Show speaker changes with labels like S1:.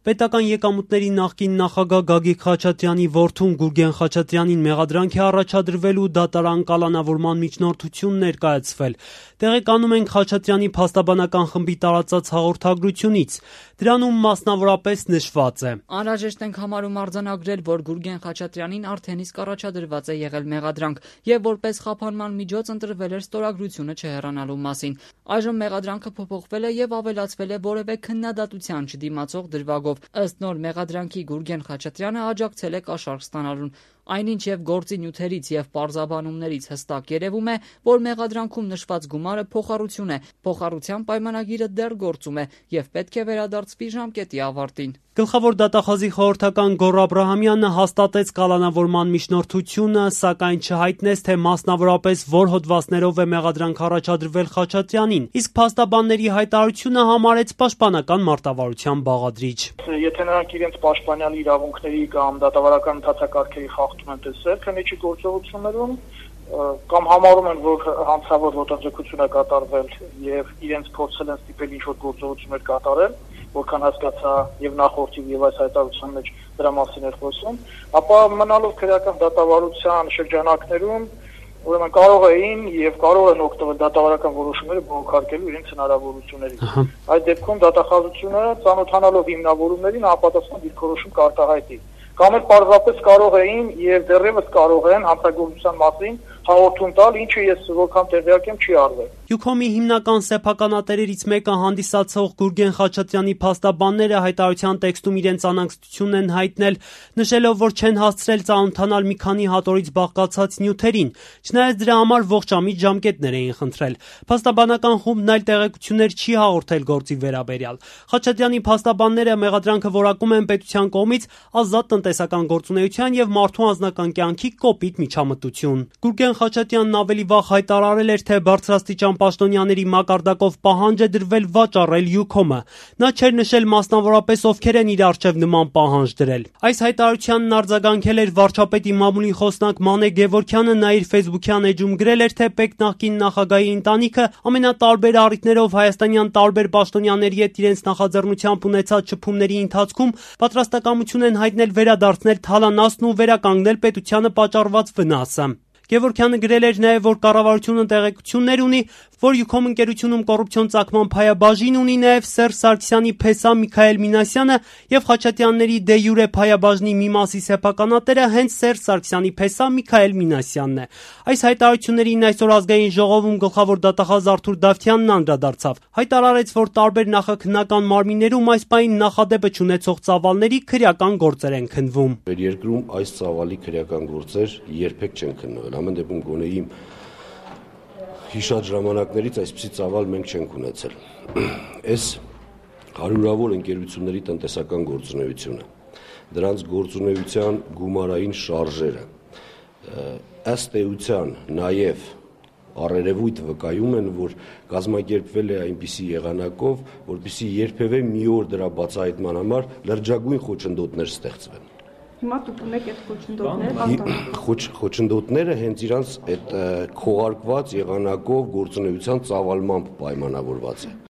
S1: Պետական եկամուտների նախկին նախագահ Գագիկ Խաչատրյանի որդուն Գուրգեն Խաչատրյանին մեղադրանք է առաջադրվելու դատարան կալանավորման միջնորդություն ներկայացվել։ Տեղեկանում ենք Խաչատրյանի փաստաբանական խմբի տարածած հաղորդագրությունից։ Դրանում մասնավորապես նշված է.
S2: Անհրաժեշտ ենք համարում արձանագրել, որ Գուրգեն Խաչատրյանին արդեն իսկ առաջադրված է եղել մեղադրանք եւ որպես խափանման միջոց ընտրվել էր ստորագրությունը չհեռանալու մասին։ Այժմ մեղադրանքը փոփոխվել է եւ ավելացվել է որևէ քննադատության չդիմացող դրվագով։ Ըստ նոր մեղադրանքի Գուրգեն Խաչատրյանը աջակցել է կաշառք ստանալուն։ Այնինչ եւ գործի նյութերից եւ պարզաբանումներից հստակ երևում է, որ մեղադրանքում նշված գումարը փոխառություն է, փոխառության պայմանագիրը դեռ գործում է եւ պետք է վերադարձվի ժամկետի ավարտին։
S1: Գլխավոր դատախազի խորհրդական Գոռ Աբրահամյանը հաստատեց կալանավորման միջնորդությունը, սակայն չհայտնեց, թե մասնավորապես որ հոդվածներով է մեղադրանք առաջադրվել Խաչատրյանին, իսկ փաստաբանների հայտարարությունը համարեց պաշտպանական մարտավարության բաղադրիչ։
S3: Եթե նրանք իրենց պաշտպանյալ իրավունքների կամ դատավարական ընթացակարգերի խախտում են տեսել քննիչի գործողություններում, կամ համարում են, որ հանցավոր ոտնձգություն է կատարվել եւ իրենց փորձել են ստիպել ինչ-որ գործողություններ կատարել, որքան հասկացա եւ նախորդի եւ այս հայտարարության մեջ դրա մասին էր խոսում, ապա մնալով քրեական դատավարության շրջանակներում ուրեմն կարող էին եւ կարող են օգտվել դատավարական որոշումները բողոքարկելու իրենց հնարավորություններից։ Այդ դեպքում դատախազությունը ծանոթանալով հիմնավորումներին համապատասխան դիրքորոշում կարտահայտի։ Կամ էլ պարզապես կարող էին եւ դեռևս կարող են հանցագործության մասին հաղորդում տալ, ինչը ես որքան տեղյակ եմ չի արվել։
S1: Յուքոմի հիմնական սեփականատերերից մեկը հանդիսացող Գուրգեն Խաչատրյանի փաստաբանները հայտարարության տեքստում իրենց անհանգստությունն են հայտնել, նշելով, որ չեն հասցրել ծանոթանալ մի քանի հատորից բաղկացած նյութերին, չնայած դրա համար ողջամիտ ժամկետներ էին խնդրել։ Փաստաբանական խումբն այլ տեղեկություններ չի հաղորդել գործի վերաբերյալ։ Խաչատրյանի փաստաբանները մեղադրանքը որակում են պետության կողմից ազատ տնտեսական գործունեության եւ մարդու անձնական կյանքի կոպիտ միջամտություն։ Գուրգեն Խաչատրյանն ավելի վաղ հայտարարել էր, թե բարձրաստիճան պաշտոնյաների մակարդակով պահանջ է դրվել վաճառել Յուքոմը։ Նա չէր նշել մասնավորապես ովքեր են իր առջև նման պահանջ դրել։ Այս հայտարարությանն արձագանքել էր վարչապետի մամուլի խոսնակ Մանե Գևորգյանը, նա իր ֆեյսբուքյան էջում գրել էր, թե ՊԵԿ նախկին նախագահի ընտանիքը ամենատարբեր առիթներով հայաստանյան տարբեր պաշտոնյաների հետ իրենց նախաձեռնությամբ ունեցած շփումների ընթացքում պատրաստակամություն են հայտնել վերադարձնել թալանացն ու վերականգնել պետությանը պատճառված վնասը։ Գևորգյանը գրել էր նաև, որ կառավարությունը տեղեկություններ ունի, որ Յուքոմ ընկերությունում կոռուպցիոն ծագման փայաբաժին ունի նաև Սերժ Սարգսյանի փեսա Միքայել Մինասյանը եւ Խաչատրյանների դե յուրե փայաբաժնի մի մասի սեփականատերը հենց Սերժ Սարգսյանի փեսա Միքայել Մինասյանն է։ Այս հայտարարություններին այսօր ազգային ժողովում գլխավոր դատախազ Արթուր Դավթյանն անդրադարձավ։ Հայտարարեց, որ տարբեր նախաքննական մարմիններում այս պահին նախադեպը չունեցող ծավալների քրեական գործեր են քննվում։
S4: Երկրում այս ծավալի քրեական գործեր երբեք չեն քննվել։ Ամեն դեպքում գոնե իմ հիշած ժամանակներից այսպիսի ծավալ մենք չենք ունեցել։ Այս հարյուրավոր ընկերությունների տնտեսական գործունեությունը, դրանց գործունեության գումարային շարժերը, ըստ էության նաև առերևույթ վկայում են, որ կազմակերպվել է այնպիսի եղանակով, որպեսզի երբևէ մի օր դրա բացահայտման համար լրջագույն խոչընդոտներ ստեղծվեն։
S5: Հիմա դուք ունեք այդ խոչընդոտները,
S4: խոչընդոտները հենց իրանց այդ քողարկված եղանակով գործունեության ծավալմամբ պայմանավորված է։